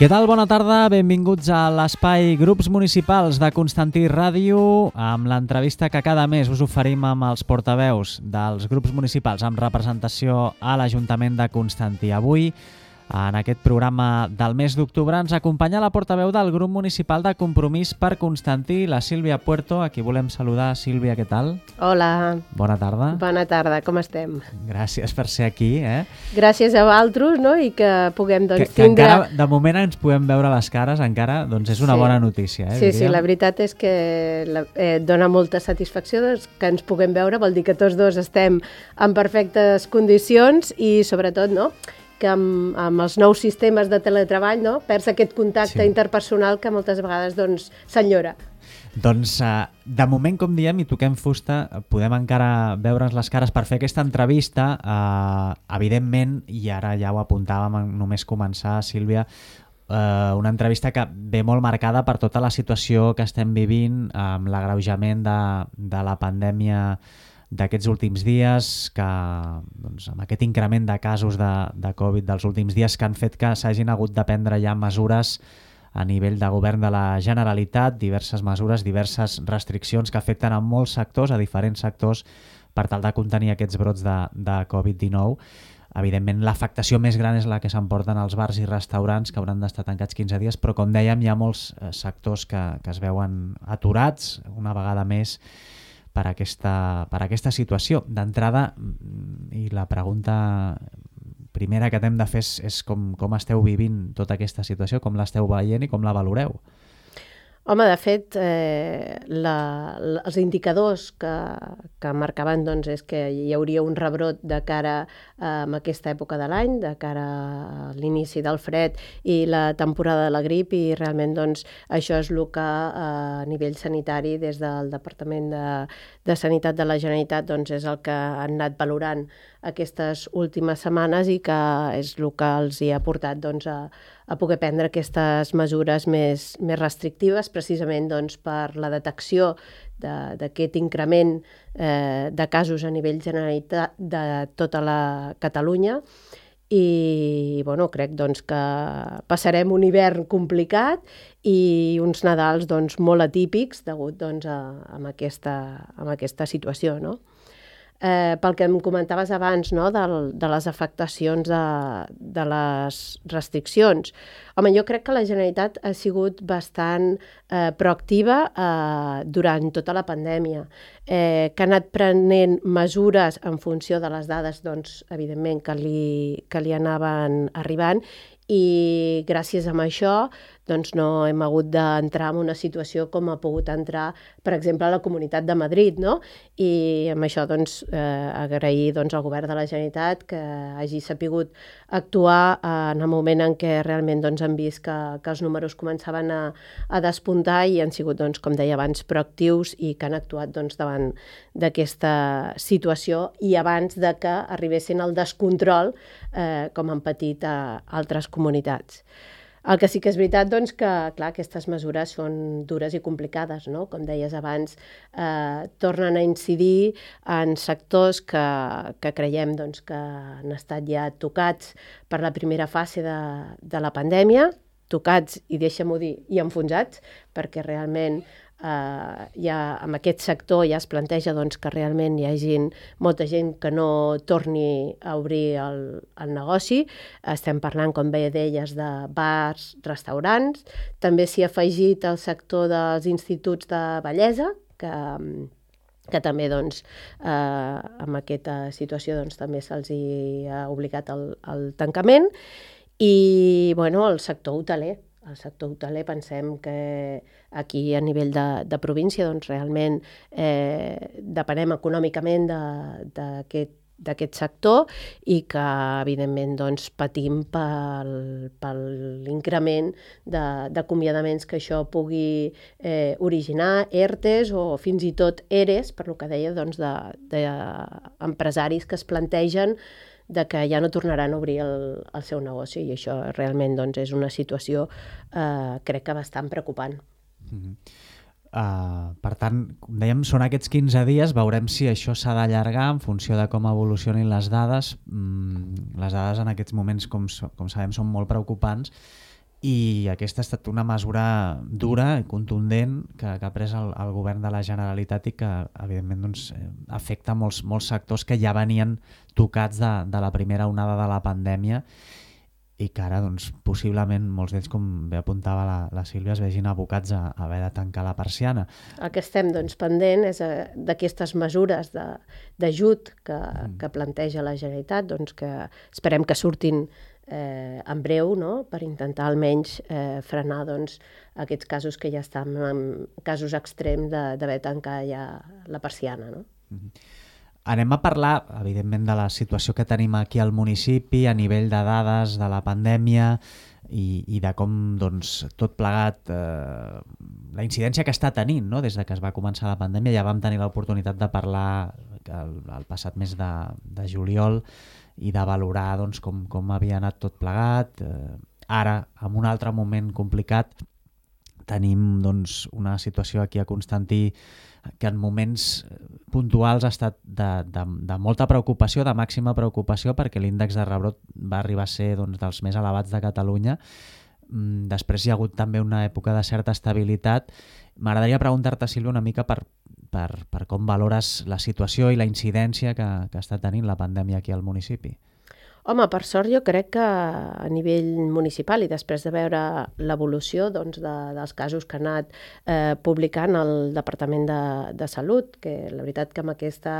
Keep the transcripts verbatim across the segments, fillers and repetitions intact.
Què tal? Bona tarda, benvinguts a l'espai Grups Municipals de Constantí Ràdio amb l'entrevista que cada mes us oferim amb els portaveus dels grups municipals amb representació a l'Ajuntament de Constantí. Avui, en aquest programa del mes d'octubre, ens acompanya la portaveu del grup municipal de Compromís per Constantí, la Sílvia Puerto, a qui volem saludar. Sílvia, què tal? Hola. Bona tarda. Bona tarda, com estem? Gràcies per ser aquí. Eh? Gràcies a vosaltres, no? I que puguem doncs, que, que tindre... encara, de moment ens podem veure les cares, encara doncs és una sí. bona notícia. Eh, sí, diríem. sí, la veritat és que la, eh, dona molta satisfacció doncs, que ens puguem veure, vol dir que tots dos estem en perfectes condicions i sobretot, no?, que amb, amb els nous sistemes de teletreball, no?, perds aquest contacte sí. interpersonal que moltes vegades doncs, s'enyora. Doncs, eh, de moment, com diem, i toquem fusta, podem encara veure'ns les cares per fer aquesta entrevista. Eh, evidentment, i ara ja ho apuntàvem en només començar, Sílvia, eh, una entrevista que ve molt marcada per tota la situació que estem vivint amb l'agreujament de, de la pandèmia d'aquests últims dies, que doncs, amb aquest increment de casos de, de Covid dels últims dies que han fet que s'hagin hagut de prendre ja mesures a nivell de govern de la Generalitat, diverses mesures, diverses restriccions que afecten a molts sectors, a diferents sectors, per tal de contenir aquests brots de, de Covid dinou. Evidentment, l'afectació més gran és la que s'emporten els bars i restaurants, que hauran d'estar tancats quinze dies, però com dèiem, hi ha molts sectors que, que es veuen aturats una vegada més per aquesta, per aquesta situació. D'entrada, i la pregunta primera que t'hem de fer és, és com, com esteu vivint tota aquesta situació, com l'esteu veient i com la valoreu? Home, de fet, eh, la, la, els indicadors que, que marcaven doncs, és que hi hauria un rebrot de cara a aquesta època de l'any, de cara a l'inici del fred i la temporada de la grip, i realment doncs, això és el que a nivell sanitari des del Departament de, de Sanitat de la Generalitat doncs, és el que han anat valorant aquestes últimes setmanes i que és el que els hi ha portat doncs, a, a poder prendre aquestes mesures més, més restrictives, precisament doncs, per la detecció d'aquest increment eh, de casos a nivell generalitat de tota la Catalunya. I bueno, crec doncs, que passarem un hivern complicat i uns Nadals doncs, molt atípics degut doncs, a, a, aquesta, a aquesta situació, no? Eh, pel que em comentaves abans, no?, de, de les afectacions de, de les restriccions. Home, jo crec que la Generalitat ha sigut bastant eh, proactiva eh, durant tota la pandèmia, eh, que ha anat prenent mesures en funció de les dades, doncs, evidentment, que li, que li anaven arribant, i gràcies a això doncs, no hem hagut d'entrar en una situació com ha pogut entrar, per exemple, a la Comunitat de Madrid, no? I amb això doncs, eh, agrair doncs, al Govern de la Generalitat que hagi sapigut actuar en el moment en què realment doncs, han vist que, que els números començaven a, a despuntar i han sigut, doncs, com deia abans, proactius i que han actuat doncs, davant d'aquesta situació i abans de que arribessin al descontrol eh, com han patit a altres comunitats. El que sí que és veritat, doncs, que clar, aquestes mesures són dures i complicades, no? Com deies abans, eh, tornen a incidir en sectors que, que creiem doncs, que han estat ja tocats per la primera fase de, de la pandèmia, tocats, i deixa'm-ho dir, i enfonsats, perquè realment Uh, ja en aquest sector ja es planteja doncs, que realment hi hagi molta gent que no torni a obrir el, el negoci. Estem parlant, com bé deies, de bars, restaurants. També s'hi ha afegit el sector dels instituts de bellesa, que, que també doncs, eh, amb aquesta situació doncs, també se'ls ha obligat el, el tancament. I bueno, el sector hoteler. El sector hoteler pensem que aquí a nivell de, de província doncs realment eh, depenem econòmicament d'aquest d'aquest sector i que evidentment doncs, patim pel, per l'increment d'acomiadaments que això pugui eh, originar, ERTEs o fins i tot EREs, per lo que deia doncs, d'empresaris que es plantegen de que ja no tornaran a obrir el, el seu negoci, i això realment doncs, és una situació eh, crec que bastant preocupant. Mm-hmm. Uh, per tant, com dèiem, són aquests quinze dies, veurem si això s'ha d'allargar en funció de com evolucionin les dades. Mm, les dades en aquests moments, com, com sabem, són molt preocupants i aquesta ha estat una mesura dura i contundent que, que ha pres el, el govern de la Generalitat i que, evidentment, doncs, afecta molts, molts sectors que ja venien tocats de, de la primera onada de la pandèmia i que ara, doncs, possiblement, molts d'ells, com bé apuntava la, la Sílvia, es vegin abocats a, a haver de tancar la persiana. El que estem, doncs, pendent és eh, d'aquestes mesures de, d'ajut que, mm. que planteja la Generalitat, doncs, que esperem que surtin eh, en breu, no?, per intentar almenys eh, frenar, doncs, aquests casos que ja estan en casos extrems d'haver tancat ja la persiana, no? Mm-hmm. Anem a parlar, evidentment, de la situació que tenim aquí al municipi a nivell de dades de la pandèmia i, i de com, doncs, tot plegat, eh, la incidència que està tenint, no?, des de que es va començar la pandèmia. Ja vam tenir l'oportunitat de parlar el, el passat mes de, de juliol i de valorar, doncs, com, com havia anat tot plegat. Eh, ara, en un altre moment complicat, tenim, doncs, una situació aquí a Constantí que en moments puntuals ha estat de, de, de molta preocupació, de màxima preocupació, perquè l'índex de rebrot va arribar a ser, doncs, dels més elevats de Catalunya. Després hi ha hagut també una època de certa estabilitat. M'agradaria preguntar-te, Sílvia, una mica per, per, per com valores la situació i la incidència que, que està tenint la pandèmia aquí al municipi. Home, per sort jo crec que a nivell municipal i després de veure l'evolució, doncs, de, dels casos que ha anat eh, publicant el Departament de, de Salut, que la veritat que amb aquesta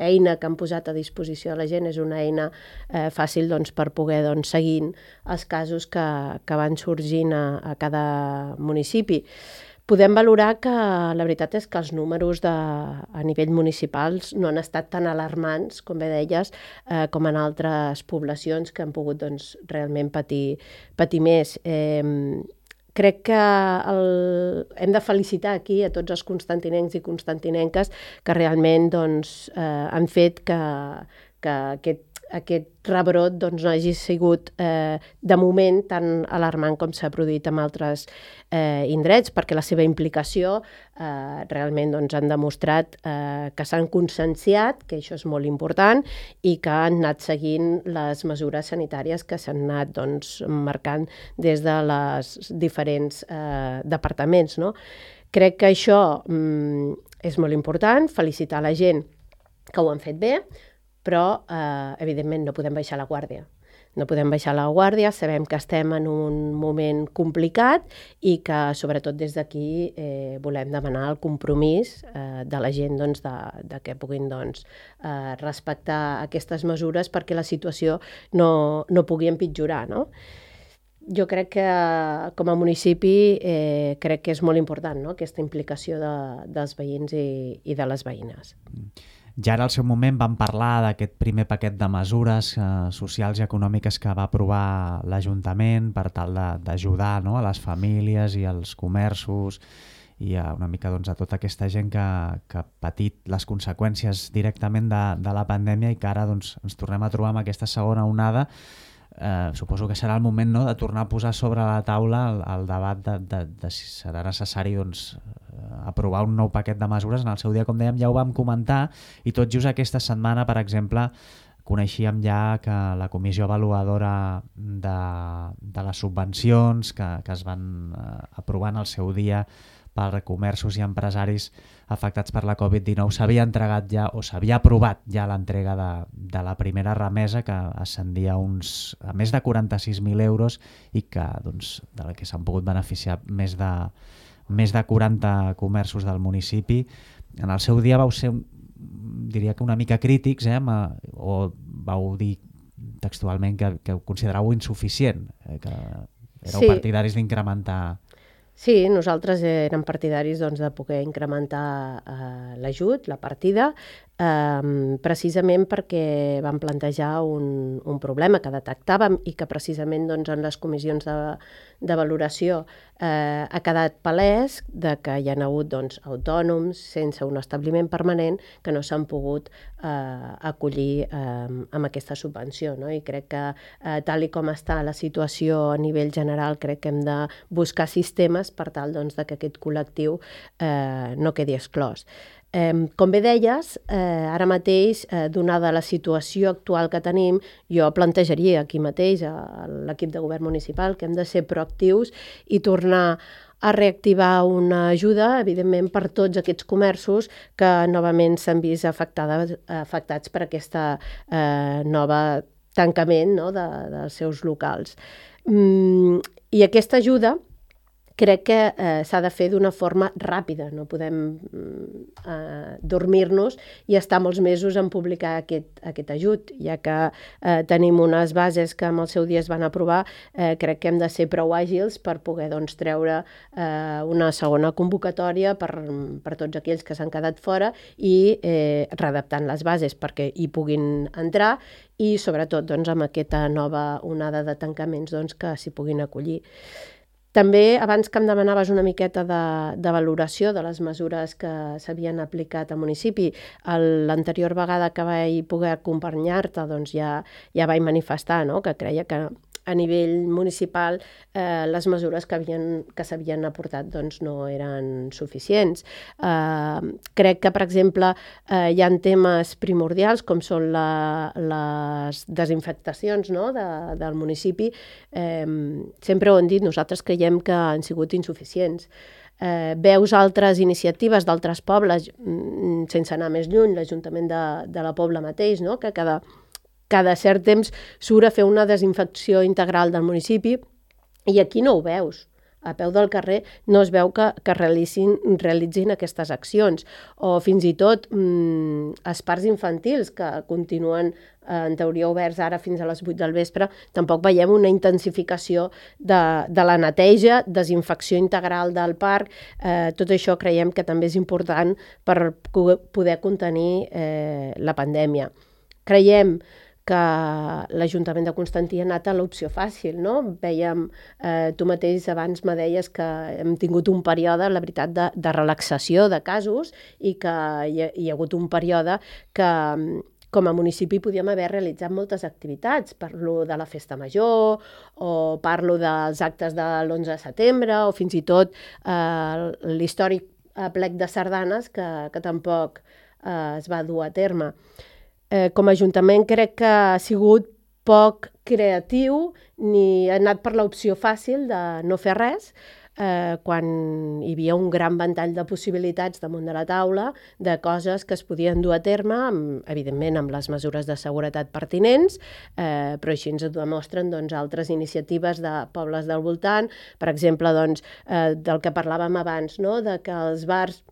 eina que han posat a disposició de la gent és una eina eh, fàcil, doncs, per poder, doncs, seguint els casos que, que van sorgint a, a cada municipi. Podem valorar que la veritat és que els números de, a nivell municipals no han estat tan alarmants, com bé deies, eh, com en altres poblacions que han pogut, doncs, realment patir, patir més. Eh, crec que el, hem de felicitar aquí a tots els constantinencs i constantinenques que realment, doncs, eh, han fet que, que aquest aquest rebrot, doncs, no hagi sigut eh, de moment tan alarmant com s'ha produït en altres eh, indrets, perquè la seva implicació eh, realment, doncs, han demostrat eh, que s'han conscienciat, que això és molt important, i que han anat seguint les mesures sanitàries que s'han anat, doncs, marcant des de les diferents eh, departaments, no? Crec que això mm, és molt important, felicitar la gent que ho han fet bé, però, eh, evidentment, no podem baixar la guàrdia. No podem baixar la guàrdia, sabem que estem en un moment complicat i que, sobretot des d'aquí, eh, volem demanar el compromís eh, de la gent, doncs, de, de que puguin, doncs, eh, respectar aquestes mesures perquè la situació no, no pugui empitjorar, no? Jo crec que, com a municipi, eh, crec que és molt important, no?, aquesta implicació de, dels veïns i, i de les veïnes. Ja ara al seu moment vam parlar d'aquest primer paquet de mesures eh, socials i econòmiques que va aprovar l'Ajuntament per tal d'ajudar, no?, a les famílies i als comerços i a una mica, doncs, a tota aquesta gent que, que ha patit les conseqüències directament de, de la pandèmia i que ara, doncs, ens tornem a trobar amb aquesta segona onada. Eh, suposo que serà el moment, no?, de tornar a posar sobre la taula el, el debat de, de, de si serà necessari, doncs, aprovar un nou paquet de mesures. En el seu dia, com dèiem, ja ho vam comentar i tot just aquesta setmana, per exemple, coneixíem ja que la comissió avaluadora de, de les subvencions que, que es van eh, aprovar en el seu dia per comerços i empresaris afectats per la covid dinou s'havia entregat ja o s'havia aprovat ja l'entrega de, de la primera remesa que ascendia uns, a més de quaranta-sis mil euros i que, doncs, de la que s'han pogut beneficiar més de més de quaranta comerços del municipi. En el seu dia vau ser, diria que una mica crítics, eh, o vau dir textualment que, que ho consideràveu insuficient, eh, que éreu sí. partidaris d'incrementar. Sí, nosaltres érem partidaris, doncs, de poder incrementar eh, l'ajut, la partida, eh, precisament perquè vam plantejar un, un problema que detectàvem i que precisament, doncs, en les comissions de, de valoració eh, ha quedat palès de que hi ha hagut, doncs, autònoms sense un establiment permanent que no s'han pogut eh, acollir eh, amb aquesta subvenció, no? I crec que eh, tal i com està la situació a nivell general, crec que hem de buscar sistemes per tal, doncs, de que aquest col·lectiu eh, no quedi exclòs. Eh, com bé deies, eh, ara mateix, eh, donada la situació actual que tenim, jo plantejaria aquí mateix a l'equip de govern municipal que hem de ser proactius i tornar a reactivar una ajuda, evidentment, per tots aquests comerços que novament s'han vist afectades, afectats per aquesta eh, nova tancament, no?, de, dels seus locals. Mm, I aquesta ajuda crec que eh, s'ha de fer d'una forma ràpida, no podem eh, dormir-nos i estar molts mesos en publicar aquest, aquest ajut, ja que eh, tenim unes bases que en el seu dia es van aprovar, eh, crec que hem de ser prou àgils per poder doncs, treure eh, una segona convocatòria per, per tots aquells que s'han quedat fora i eh, readaptant les bases perquè hi puguin entrar i sobretot doncs, amb aquesta nova onada de tancaments doncs, que s'hi puguin acollir. També, abans que em demanaves una miqueta de, de valoració de les mesures que s'havien aplicat al municipi, l'anterior vegada que vaig poder acompanyar-te doncs ja, ja vaig manifestar, no?, que creia que a nivell municipal eh, les mesures que, havien, que s'havien aportat doncs, no eren suficients. Eh, crec que, per exemple, eh, hi ha temes primordials com són la, les desinfectacions, no?, de, del municipi. Eh, sempre ho hem dit, nosaltres creiem que han sigut insuficients. Eh, veus altres iniciatives d'altres pobles, sense anar més lluny, l'Ajuntament de, de la Pobla mateix, no?, que cada cada cert temps surt a fer una desinfecció integral del municipi i aquí no ho veus. A peu del carrer no es veu que, que realitzin, realitzin aquestes accions. O fins i tot mmm, els parcs infantils que continuen eh, en teoria oberts ara fins a les vuit del vespre, tampoc veiem una intensificació de, de la neteja, desinfecció integral del parc. Eh, tot això creiem que també és important per poder contenir eh, la pandèmia. Creiem que l'Ajuntament de Constantí ha anat a l'opció fàcil, no? Vèiem, eh, tu mateix abans me deies que hem tingut un període, la veritat, de, de relaxació de casos i que hi ha, hi ha hagut un període que com a municipi podíem haver realitzat moltes activitats. Parlo de la Festa Major o parlo dels actes de l'onze de setembre o fins i tot eh, l'històric plec de sardanes que, que tampoc eh, es va dur a terme. Eh, com a Ajuntament crec que ha sigut poc creatiu ni ha anat per l'opció fàcil de no fer res eh, quan hi havia un gran ventall de possibilitats damunt de la taula de coses que es podien dur a terme, amb, evidentment amb les mesures de seguretat pertinents, eh, però així ens ho demostren doncs, altres iniciatives de pobles del voltant, per exemple doncs, eh, del que parlàvem abans, no? De que els bars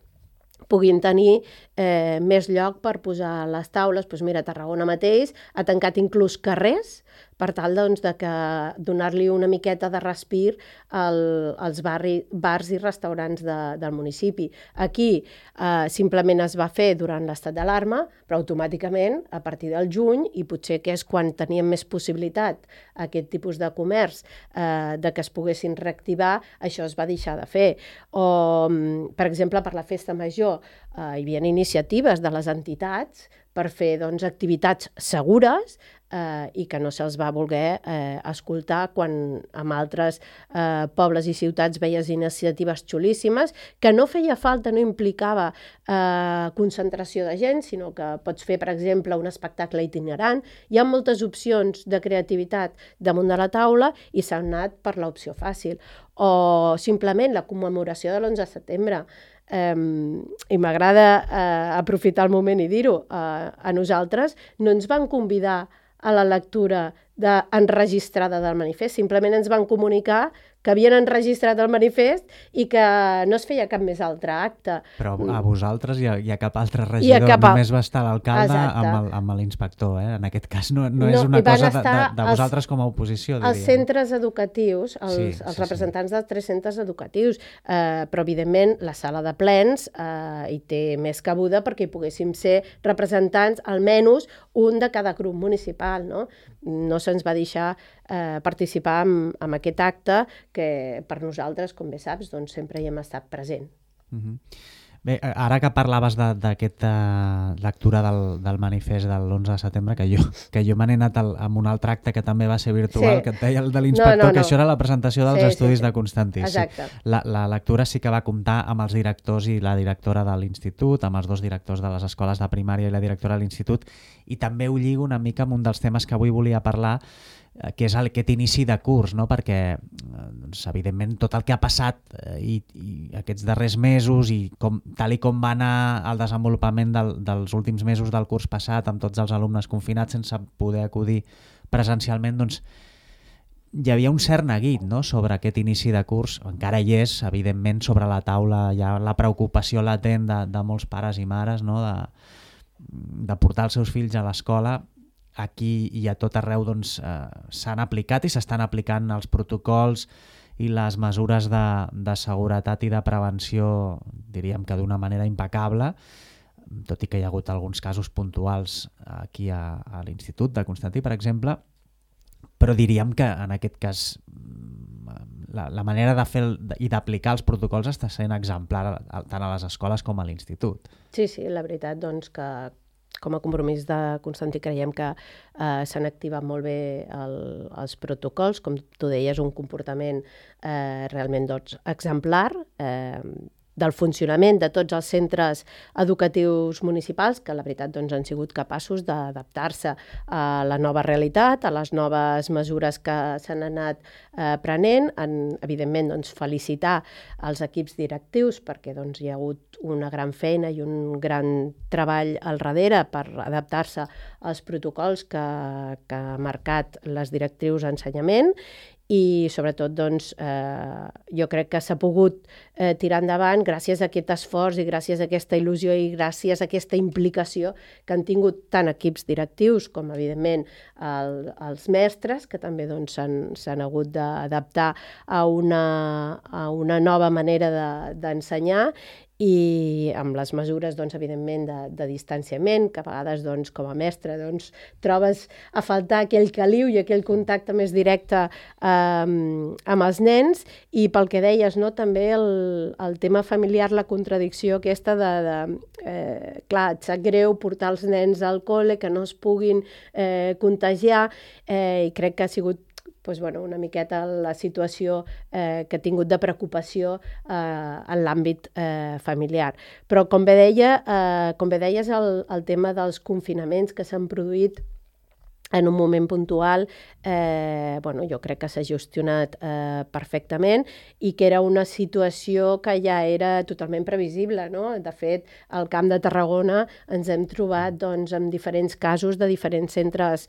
puguin tenir eh, més lloc per posar les taules. Doncs mira, Tarragona mateix ha tancat inclús carrers per tal doncs, de que donar-li una miqueta de respir al, als barri, bars i restaurants de, del municipi. Aquí eh, simplement es va fer durant l'estat d'alarma, però automàticament a partir del juny, i potser que és quan teníem més possibilitat aquest tipus de comerç eh, de que es poguessin reactivar, això es va deixar de fer. O, per exemple, per la Festa Major eh, hi havia iniciatives de les entitats per fer doncs, activitats segures eh, i que no se'ls va voler eh, escoltar quan en altres eh, pobles i ciutats veies iniciatives xulíssimes que no feia falta, no implicava eh, concentració de gent, sinó que pots fer, per exemple, un espectacle itinerant. Hi ha moltes opcions de creativitat damunt de la taula i s'ha anat per l'opció fàcil. O simplement la commemoració de l'onze de setembre. Um, i m'agrada uh, aprofitar el moment i dir-ho, uh, a nosaltres no ens van convidar a la lectura de, enregistrada del manifest, simplement ens van comunicar que havien enregistrat el manifest i que no es feia cap més altre acte. Però a vosaltres i a, i a cap altre regidor, cap a... només va estar l'alcalde amb, amb l'inspector, eh? En aquest cas no, no, no és una cosa de, de, de vosaltres els, com a oposició, diríem. Els centres educatius, els, sí, sí, els representants sí. dels tres centres educatius, eh, però evidentment la sala de plens eh, hi té més cabuda perquè hi poguéssim ser representants, almenys un de cada grup municipal, no? No se'ns va deixar eh, participar en, en aquest acte que per nosaltres, com bé saps, doncs sempre hi hem estat present. Uh-huh. Bé, ara que parlaves d'aquesta lectura del, del manifest de l'onze de setembre, que jo, que jo me n'he anat al, amb un altre acte que també va ser virtual, sí. que et deia el de l'inspector, no, no, no. que això era la presentació dels sí, estudis sí, sí. de Constantí. Exacte. Sí. La, la lectura sí que va comptar amb els directors i la directora de l'institut, amb els dos directors de les escoles de primària i la directora de l'institut, i també ho lligo una mica amb un dels temes que avui volia parlar, que és aquest inici de curs, no? Perquè doncs, evidentment tot el que ha passat eh, i, i aquests darrers mesos i com, tal i com va anar el desenvolupament del, dels últims mesos del curs passat amb tots els alumnes confinats sense poder acudir presencialment, doncs hi havia un cert neguit, no? Sobre aquest inici de curs, encara hi és evidentment sobre la taula hi ha la preocupació latent de, de molts pares i mares, no? de, de portar els seus fills a l'escola. Aquí i a tot arreu doncs, eh, s'han aplicat i s'estan aplicant els protocols i les mesures de, de seguretat i de prevenció, diríem que d'una manera impecable, tot i que hi ha hagut alguns casos puntuals aquí a, a l'Institut de Constantí, per exemple, però diríem que en aquest cas la, la manera de fer el, i d'aplicar els protocols està sent exemplar tant a les escoles com a l'Institut. Sí, sí, la veritat doncs que com a compromís de Constantí creiem que eh, s'han activat molt bé el, els protocols, com tu deies, un comportament eh, realment doncs, exemplar, eh, del funcionament de tots els centres educatius municipals, que la veritat doncs, han sigut capaços d'adaptar-se a la nova realitat, a les noves mesures que s'han anat eh, prenent, en, evidentment doncs, felicitar els equips directius perquè doncs, hi ha hagut una gran feina i un gran treball al darrere per adaptar-se als protocols que, que ha marcat les directrius d'ensenyament i sobretot doncs, eh, jo crec que s'ha pogut eh, tirar endavant gràcies a aquest esforç i gràcies a aquesta il·lusió i gràcies a aquesta implicació que han tingut tant equips directius com evidentment el, els mestres que també doncs, s'han hagut d'adaptar a una, a una nova manera d'ensenyar de, i amb les mesures, doncs, evidentment, de, de distanciament, que a vegades, doncs, com a mestre, doncs, trobes a faltar aquell caliu i aquell contacte més directe eh, amb els nens, i pel que deies, no, també el, el tema familiar, la contradicció aquesta de, de eh, clar, et sap greu portar els nens al col·le, que no es puguin eh, contagiar, eh, i crec que ha sigut doncs, bueno, una miqueta la situació eh, que ha tingut de preocupació eh, en l'àmbit eh, familiar. Però com bé, deia, eh, com bé deies, el, el tema dels confinaments que s'han produït en un moment puntual, eh, bueno, jo crec que s'ha gestionat eh, perfectament i que era una situació que ja era totalment previsible, no? De fet, al Camp de Tarragona ens hem trobat doncs, amb diferents casos de diferents centres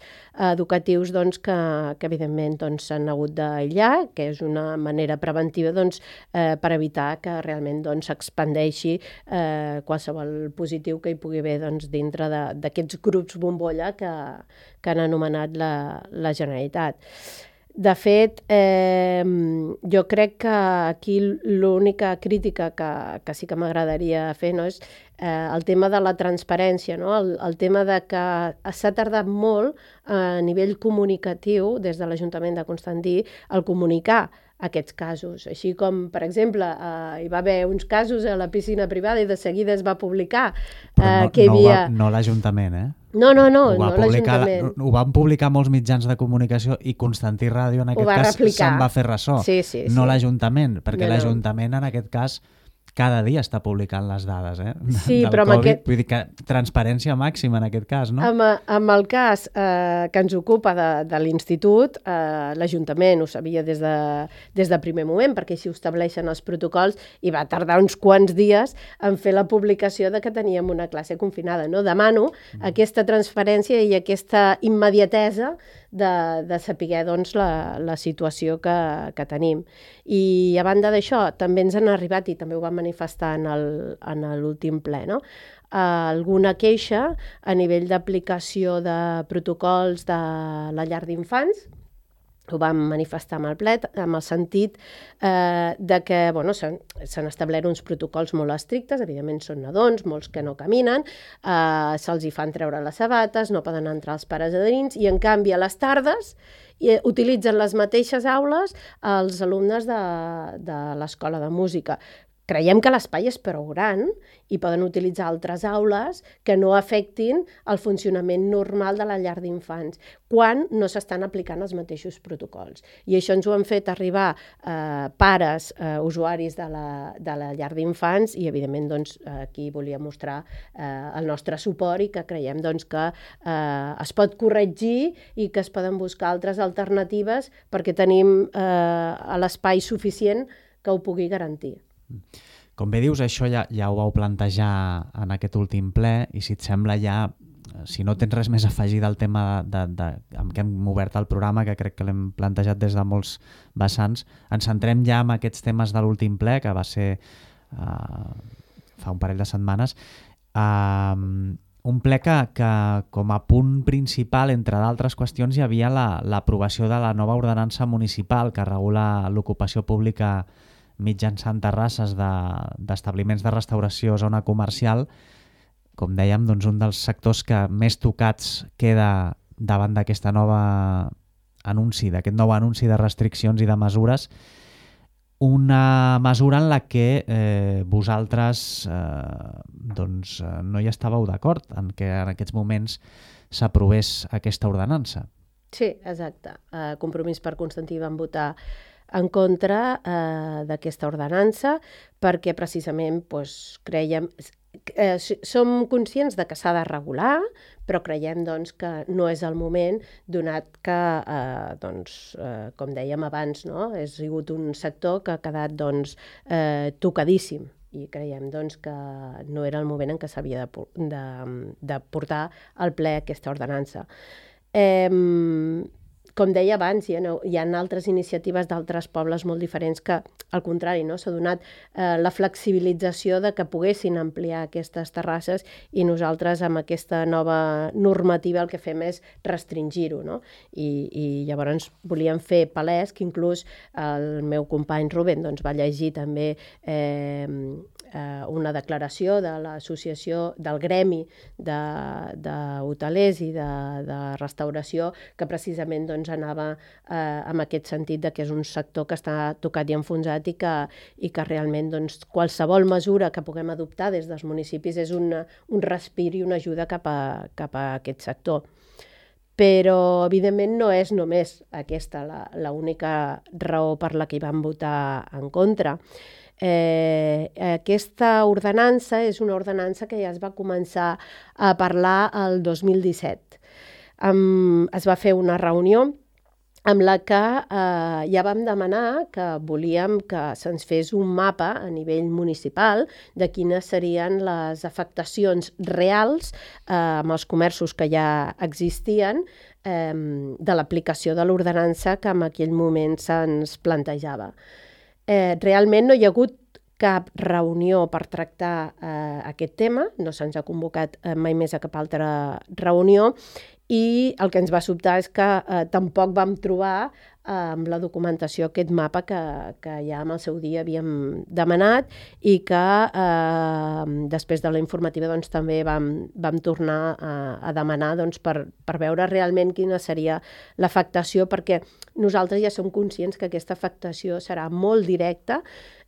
educatius doncs, que, que evidentment doncs, s'han hagut d'aïllar, que és una manera preventiva doncs, eh, per evitar que realment doncs, s'expandeixi eh, qualsevol positiu que hi pugui haver doncs, dintre d'aquests grups bombolla que, que han anomenat la, la Generalitat. De fet, eh, jo crec que aquí l'única crítica que, que sí que m'agradaria fer no, és eh, el tema de la transparència, no? el, el tema de que s'ha tardat molt a nivell comunicatiu des de l'Ajuntament de Constantí el comunicar aquests casos. Així com, per exemple, eh, hi va haver uns casos a la piscina privada i de seguida es va publicar eh, no, que hi havia... No, no l'Ajuntament, eh? No, no, no, ho no l'Ajuntament. Ho van publicar molts mitjans de comunicació i Constantí Ràdio, en aquest cas, se'n va fer ressò. Sí, sí, no sí. l'Ajuntament, perquè no, l'Ajuntament, en aquest cas, cada dia està publicant les dades, eh? Sí, del però amb Covid. aquest... Vull dir que transparència màxima en aquest cas, no? Amb, amb el cas eh, que ens ocupa de, de l'Institut, eh, l'Ajuntament ho sabia des de, des de primer moment, perquè així ho estableixen els protocols, i va tardar uns quants dies en fer la publicació de que teníem una classe confinada. No? Demano mm. aquesta transparència i aquesta immediatesa de, de saber doncs, la, la situació que, que tenim. I a banda d'això, també ens han arribat, i també ho vam manifestar en l'últim ple, no? alguna queixa a nivell d'aplicació de protocols de la llar d'infants. Ho vam manifestar amb el ple, amb el sentit eh, de que bueno, s'han establert uns protocols molt estrictes, evidentment són nadons, molts que no caminen, eh, se'ls hi fan treure les sabates, no poden entrar els pares a dins, i en canvi a les tardes i utilitzen les mateixes aules els alumnes de, de l'escola de música. creiem que l'espai és prou gran i poden utilitzar altres aules que no afectin el funcionament normal de la llar d'infants quan no s'estan aplicant els mateixos protocols. I això ens ho han fet arribar eh, pares, eh, usuaris de la, de la llar d'infants i, evidentment, doncs, aquí volia mostrar eh, el nostre suport i que creiem doncs, que eh, es pot corregir i que es poden buscar altres alternatives perquè tenim eh, l'espai suficient que ho pugui garantir. Com bé dius, això ja, ja ho vau plantejar en aquest últim ple i si et sembla ja, si no tens res més a afegir del tema de, de, de, amb què hem obert el programa, que crec que l'hem plantejat des de molts vessants, ens centrem ja en aquests temes de l'últim ple, que va ser uh, fa un parell de setmanes. Uh, un ple que, que com a punt principal, entre d'altres qüestions, hi havia l'aprovació la, de la nova ordenança municipal que regula l'ocupació pública mitjançant terrasses d'establiments de, de restauració, zona comercial, com dèiem, doncs un dels sectors que més tocats queda davant d'aquesta nova anunci, d'aquest nou anunci de restriccions i de mesures, una mesura en la que eh, vosaltres eh, doncs, no hi estàveu d'acord en que en aquests moments s'aprovés aquesta ordenança. Sí, exacte. Uh, Compromís per Constantí van votar en contra eh, d'aquesta ordenança perquè precisament doncs, creiem, eh, som conscients de que s'ha de regular, però creiem doncs, que no és el moment, donat que, eh, doncs, eh, com dèiem abans, no? Ha sigut un sector que ha quedat doncs, eh, tocadíssim i creiem doncs, que no era el moment en què s'havia de, de, de portar al ple aquesta ordenança. Eh, Com deia abans, hi ha, hi ha altres iniciatives d'altres pobles molt diferents que, al contrari, no? S'ha donat eh, la flexibilització de que poguessin ampliar aquestes terrasses i nosaltres amb aquesta nova normativa el que fem és restringir-ho. No? I, I llavors volíem fer palès que inclús el meu company Rubén doncs, va llegir també eh, una declaració de l'associació del gremi d'hotelers i de, de restauració que precisament doncs, anava eh, en aquest sentit de que és un sector que està tocat i enfonsat i que, i que realment doncs, qualsevol mesura que puguem adoptar des dels municipis és una, un respir i una ajuda cap a, cap a aquest sector. Però, evidentment, no és només aquesta l'única raó per la que hi van votar en contra. Eh, aquesta ordenança és una ordenança que ja es va començar a parlar el dos mil disset. Um, es va fer una reunió amb la que eh, ja vam demanar que volíem que se'ns fes un mapa a nivell municipal de quines serien les afectacions reals eh, amb els comerços que ja existien eh, de l'aplicació de l'ordenança que en aquell moment se'ns plantejava. Eh, realment no hi ha hagut cap reunió per tractar eh, aquest tema, no se'ns ha convocat eh, mai més a cap altra reunió i el que ens va sobtar és que eh, tampoc vam trobar eh, amb la documentació aquest mapa que, que ja en el seu dia havíem demanat i que eh, després de la informativa doncs, també vam, vam tornar a, a demanar doncs, per, per veure realment quina seria l'afectació, perquè nosaltres ja som conscients que aquesta afectació serà molt directa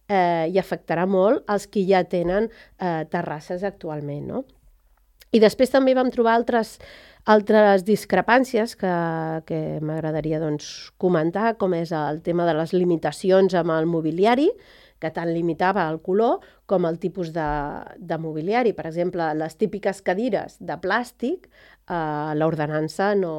eh, i afectarà molt els que ja tenen eh, terrasses actualment. No? I després també vam trobar altres Altres discrepàncies que, que m'agradaria doncs, comentar, com és el tema de les limitacions amb el mobiliari, que tant limitava el color com el tipus de, de mobiliari. Per exemple, les típiques cadires de plàstic, eh, l'ordenança no,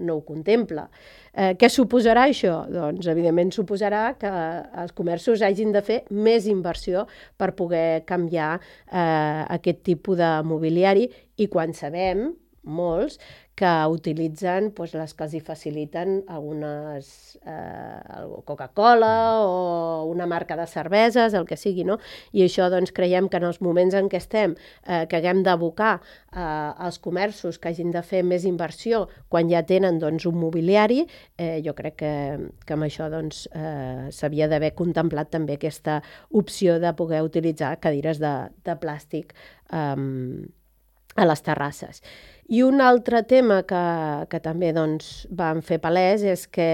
no ho contempla. Eh, què suposarà això? Doncs, evidentment, suposarà que els comerços hagin de fer més inversió per poder canviar eh, aquest tipus de mobiliari i quan sabem molts que utilitzen doncs, les que els hi faciliten algunes eh, Coca-Cola o una marca de cerveses, el que sigui, no? I això doncs, creiem que en els moments en què estem, eh, que haguem d'abocar eh, als comerços que hagin de fer més inversió quan ja tenen doncs, un mobiliari, eh, jo crec que, que amb això doncs, eh, s'havia d'haver contemplat també aquesta opció de poder utilitzar cadires de, de plàstic eh, a les terrasses. I un altre tema que, que també doncs, vam fer palès és que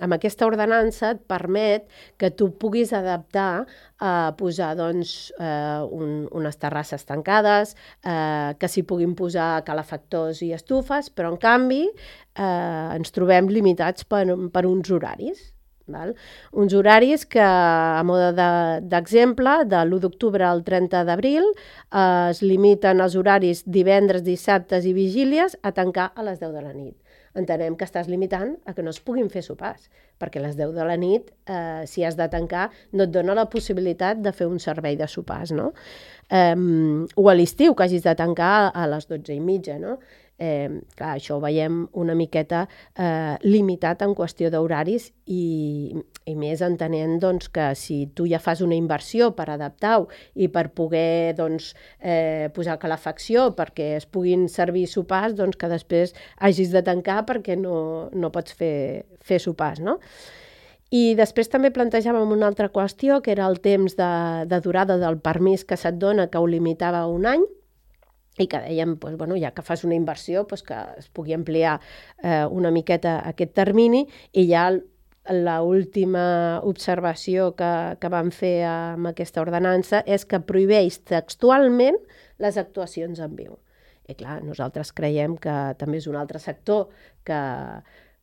amb aquesta ordenança et permet que tu puguis adaptar a posar doncs, eh, un, unes terrasses tancades, eh, que s'hi puguin posar calefactors i estufes, però en canvi eh, ens trobem limitats per, per uns horaris. Val? Uns horaris que, a mode d'exemple, de, de l'u d'octubre al trenta d'abril, eh, es limiten els horaris divendres, dissabtes i vigílies a tancar a les deu de la nit. Entenem que estàs limitant a que no es puguin fer sopars, perquè a les deu de la nit, eh, si has de tancar, no et dona la possibilitat de fer un servei de sopars, no? Eh, o a l'estiu, que hagis de tancar a les dotze i mitja, no? Eh, clar, això ho veiem una miqueta eh, limitat en qüestió d'horaris i, i més entenent doncs, que si tu ja fas una inversió per adaptar-ho i per poder doncs, eh, posar calefacció perquè es puguin servir sopars, doncs que després hagis de tancar perquè no, no pots fer, fer sopars, no? I després també plantejàvem una altra qüestió, que era el temps de, de durada del permís que se't dona, que ho limitava a un any, i que dèiem, doncs, bueno, ja que fas una inversió, doncs, que es pugui ampliar eh, una miqueta aquest termini, i ja l'última observació que, que vam fer amb aquesta ordenança és que prohibeix textualment les actuacions en viu. I clar, nosaltres creiem que també és un altre sector que,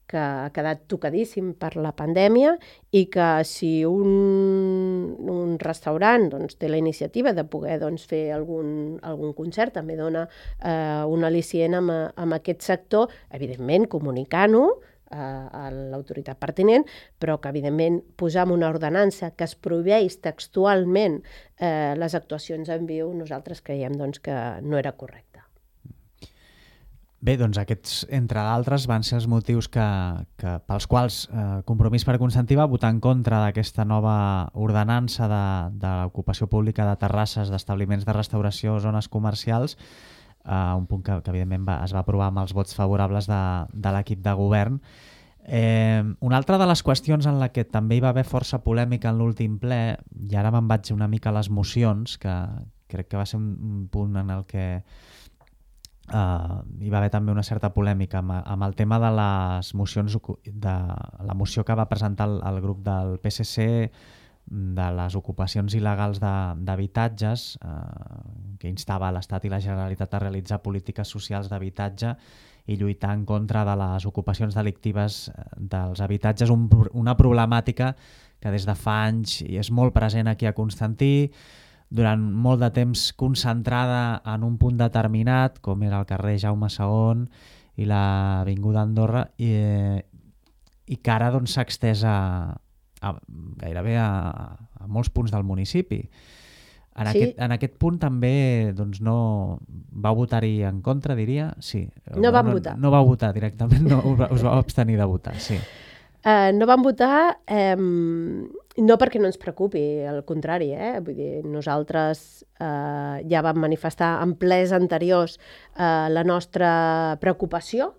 que ha quedat tocadíssim per la pandèmia i que si un, un restaurant doncs, té la iniciativa de poder doncs, fer algun, algun concert, també dona eh, un al·licient amb, amb aquest sector, evidentment comunicant-ho eh, a l'autoritat pertinent, però que evidentment posar en una ordenança que es prohibeix textualment eh, les actuacions en viu, nosaltres creiem doncs, que no era correcte. Bé, doncs aquests, entre d'altres, van ser els motius que, que, pels quals eh, Compromís per Constantí va votar en contra d'aquesta nova ordenança de, de l'ocupació pública de terrasses d'establiments de restauració o zones comercials, eh, un punt que, que evidentment va, es va aprovar amb els vots favorables de, de l'equip de govern. Eh, una altra de les qüestions en la que també hi va haver força polèmica en l'últim ple, i ara me'n vaig una mica a les mocions, que crec que va ser un, un punt en el que Uh, hi va haver també una certa polèmica amb, amb el tema de les mocions, de la moció que va presentar el, el grup del P S C de les ocupacions il·legals d'habitatges, uh, que instava l'Estat i la Generalitat a realitzar polítiques socials d'habitatge i lluitar en contra de les ocupacions delictives dels habitatges, un, una problemàtica que des de fa anys i és molt present aquí a Constantí, durant molt de temps concentrada en un punt determinat, com era el carrer Jaume segon i l'avinguda Andorra, i, i que ara doncs, s'ha extès a, a, gairebé a, a molts punts del municipi. En, sí. aquest, en aquest punt també doncs, no va votar-hi en contra, diria? Sí. No, no vam no, votar. No va votar directament, no, us va abstenir de votar, sí. Uh, no vam votar, eh, no perquè no ens preocupi, al contrari, eh? Vull dir, nosaltres eh, ja vam manifestar en plens anteriors eh, la nostra preocupació.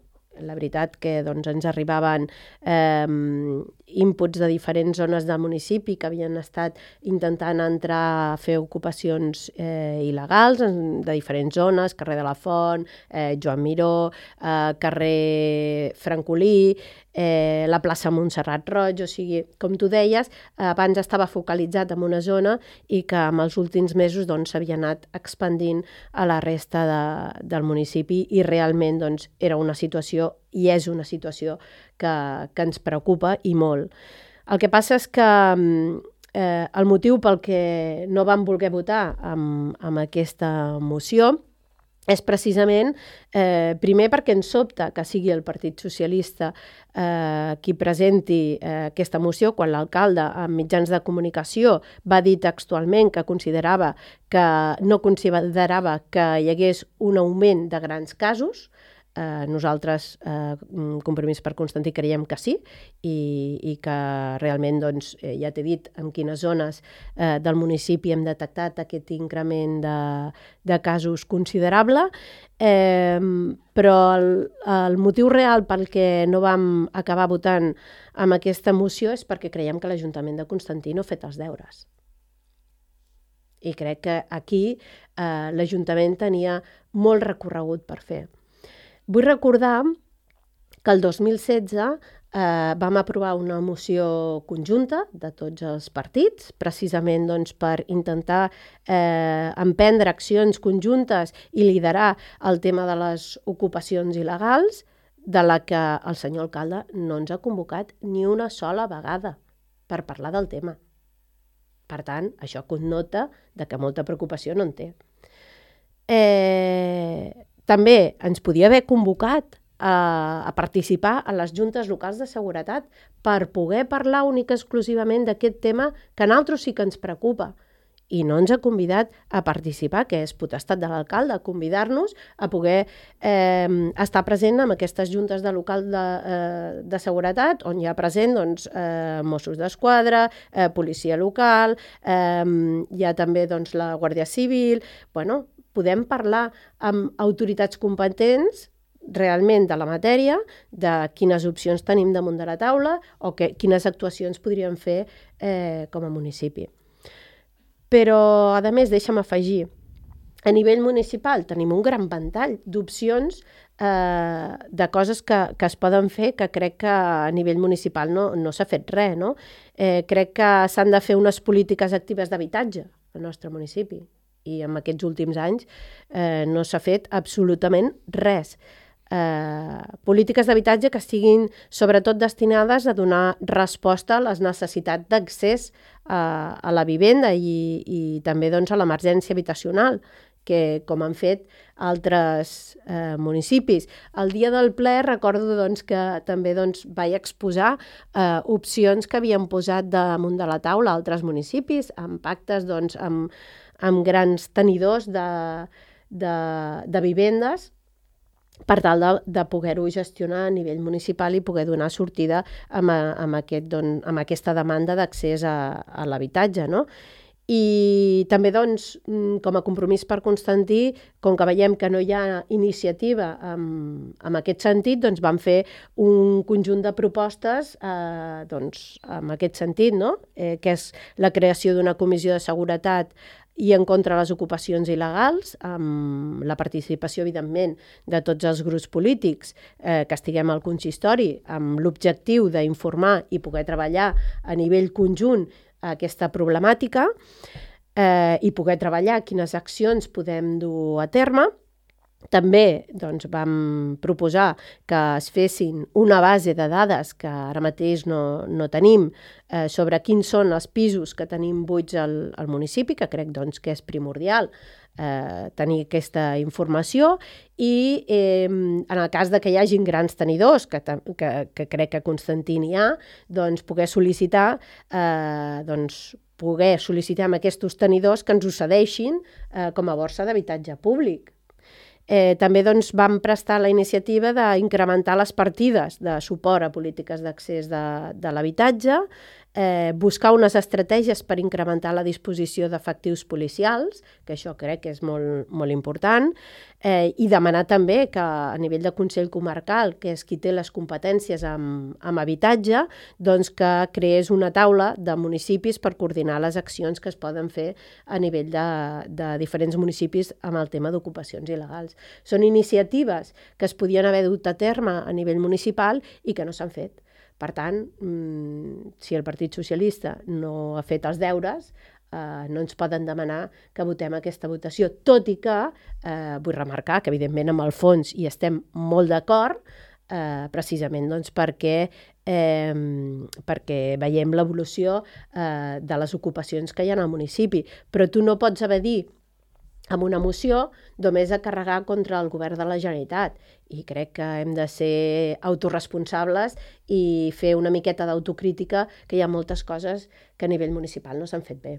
La veritat que doncs, ens arribaven eh, inputs de diferents zones del municipi que havien estat intentant entrar a fer ocupacions eh, il·legals de diferents zones, carrer de la Font, eh, Joan Miró, eh, carrer Francolí, eh, la plaça Montserrat Roig, o sigui, com tu deies, abans estava focalitzat en una zona i que en els últims mesos doncs, s'havia anat expandint a la resta de, del municipi i realment doncs, era una situació i és una situació que, que ens preocupa i molt. El que passa és que eh, el motiu pel que no vam voler votar amb, amb aquesta moció és precisament, eh, primer perquè ens sobta que sigui el Partit Socialista eh, qui presenti eh, aquesta moció, quan l'alcalde en mitjans de comunicació va dir textualment que considerava que no considerava que hi hagués un augment de grans casos. Eh, nosaltres, eh, Compromís per Constantí, creiem que sí i, i que realment, doncs, eh, ja t'he dit en quines zones eh, del municipi hem detectat aquest increment de, de casos considerable, eh, però el, el motiu real pel que no vam acabar votant amb aquesta moció és perquè creiem que l'Ajuntament de Constantí no ha fet els deures. I crec que aquí eh, l'Ajuntament tenia molt recorregut per fer. Vull recordar que el dos mil setze eh, vam aprovar una moció conjunta de tots els partits, precisament doncs, per intentar eh, emprendre accions conjuntes i liderar el tema de les ocupacions il·legals, de la que el senyor alcalde no ens ha convocat ni una sola vegada per parlar del tema. Per tant, això connota de que molta preocupació no en té. Eh, també ens podia haver convocat a, a participar a les juntes locals de seguretat per poder parlar única i exclusivament d'aquest tema que a nosaltres sí que ens preocupa. I no ens ha convidat a participar, que és potestat de l'alcalde, convidar-nos a poder eh, estar present en aquestes juntes de local de, eh, de seguretat, on hi ha present doncs, eh, Mossos d'Esquadra, eh, policia local, eh, hi ha també doncs, la Guàrdia Civil. Bueno, podem parlar amb autoritats competents realment de la matèria, de quines opcions tenim damunt de la taula o que, quines actuacions podríem fer eh, com a municipi. Però, a més, deixa'm afegir, a nivell municipal tenim un gran ventall d'opcions eh, de coses que, que es poden fer que crec que a nivell municipal no, no s'ha fet res. No? Eh, crec que s'han de fer unes polítiques actives d'habitatge al nostre municipi i en aquests últims anys eh, no s'ha fet absolutament res. Eh, polítiques d'habitatge que estiguin sobretot destinades a donar resposta a les necessitats d'accés a, a la vivenda i, i també doncs, a l'emergència habitacional, que com han fet altres eh, municipis. El dia del ple recordo doncs, que també doncs, vaig exposar eh, opcions que havien posat damunt de la taula altres municipis, amb pactes doncs, amb, amb grans tenidors de, de, de vivendes, per tal de, de poder-ho gestionar a nivell municipal i poder donar sortida amb, amb, aquest, don, amb aquesta demanda d'accés a, a l'habitatge. No? I també, doncs, com a compromís per Constantí, com que veiem que no hi ha iniciativa en, en aquest sentit, doncs vam fer un conjunt de propostes eh, doncs, en aquest sentit, no? eh, que és la creació d'una comissió de seguretat i en contra de les ocupacions il·legals, amb la participació, evidentment, de tots els grups polítics eh, que estiguem al consistori, amb l'objectiu d'informar i poder treballar a nivell conjunt aquesta problemàtica eh, i poder treballar quines accions podem dur a terme. També doncs, vam proposar que es fessin una base de dades que ara mateix no, no tenim eh, sobre quins són els pisos que tenim buits al, al municipi, que crec doncs, que és primordial eh, tenir aquesta informació i eh, en el cas de que hi hagin grans tenidors, que, que, que crec que a Constantí n'hi ha, doncs poder sol·licitar eh, doncs, poder sol·licitar amb aquests tenidors que ens ho cedeixin eh, com a borsa d'habitatge públic. Eh, també doncs, vam prestar la iniciativa d'incrementar les partides de suport a polítiques d'accés de, de l'habitatge, eh, buscar unes estratègies per incrementar la disposició d'efectius policials, que això crec que és molt, molt important, eh, i demanar també que a nivell de Consell Comarcal, que és qui té les competències amb, amb habitatge, doncs que creés una taula de municipis per coordinar les accions que es poden fer a nivell de, de diferents municipis amb el tema d'ocupacions il·legals. Són iniciatives que es podien haver dut a terme a nivell municipal i que no s'han fet. Per tant, si el Partit Socialista no ha fet els deures, eh, no ens poden demanar que votem aquesta votació, tot i que eh, vull remarcar que evidentment amb el fons hi estem molt d'acord, eh, precisament doncs, perquè, eh, perquè veiem l'evolució eh, de les ocupacions que hi ha al municipi, però tu no pots haver dit amb una moció només a carregar contra el govern de la Generalitat. I crec que hem de ser autorresponsables i fer una miqueta d'autocrítica, que hi ha moltes coses que a nivell municipal no s'han fet bé.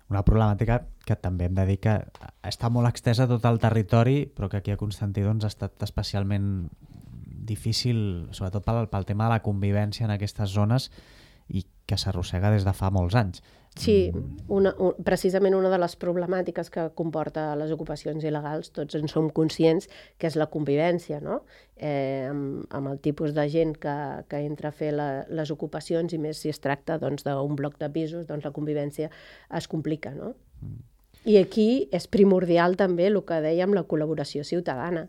Una problemàtica que també hem de dir que està molt extesa a tot el territori, però que aquí a Constantí doncs, ha estat especialment difícil, sobretot pel, pel tema de la convivència en aquestes zones i que s'arrossega des de fa molts anys. Sí, una, un, precisament una de les problemàtiques que comporta les ocupacions il·legals, tots en som conscients que és la convivència, no? Eh, amb, amb el tipus de gent que, que entra a fer la, les ocupacions, i més si es tracta doncs, d'un bloc de pisos, doncs la convivència es complica, no? Mm. I aquí és primordial també el que dèiem, la col·laboració ciutadana.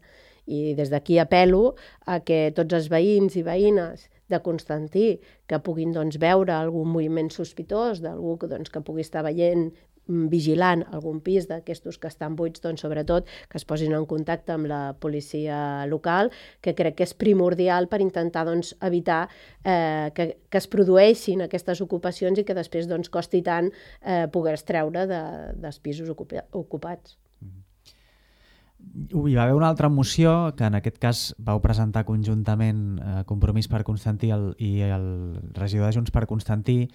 I des d'aquí apel·lo a que tots els veïns i veïnes de Constantí que puguin doncs, veure algun moviment sospitós d'algú que, doncs, que pugui estar veient, vigilant algun pis d'aquestos que estan buits, doncs, sobretot que es posin en contacte amb la policia local, que crec que és primordial per intentar doncs, evitar eh, que, que es produeixin aquestes ocupacions i que després doncs, costi tant eh, poder-es treure de, dels pisos ocupa, ocupats. Hi va haver una altra moció que en aquest cas vau presentar conjuntament eh, Compromís per Constantí el, i el regidor de Junts per Constantí,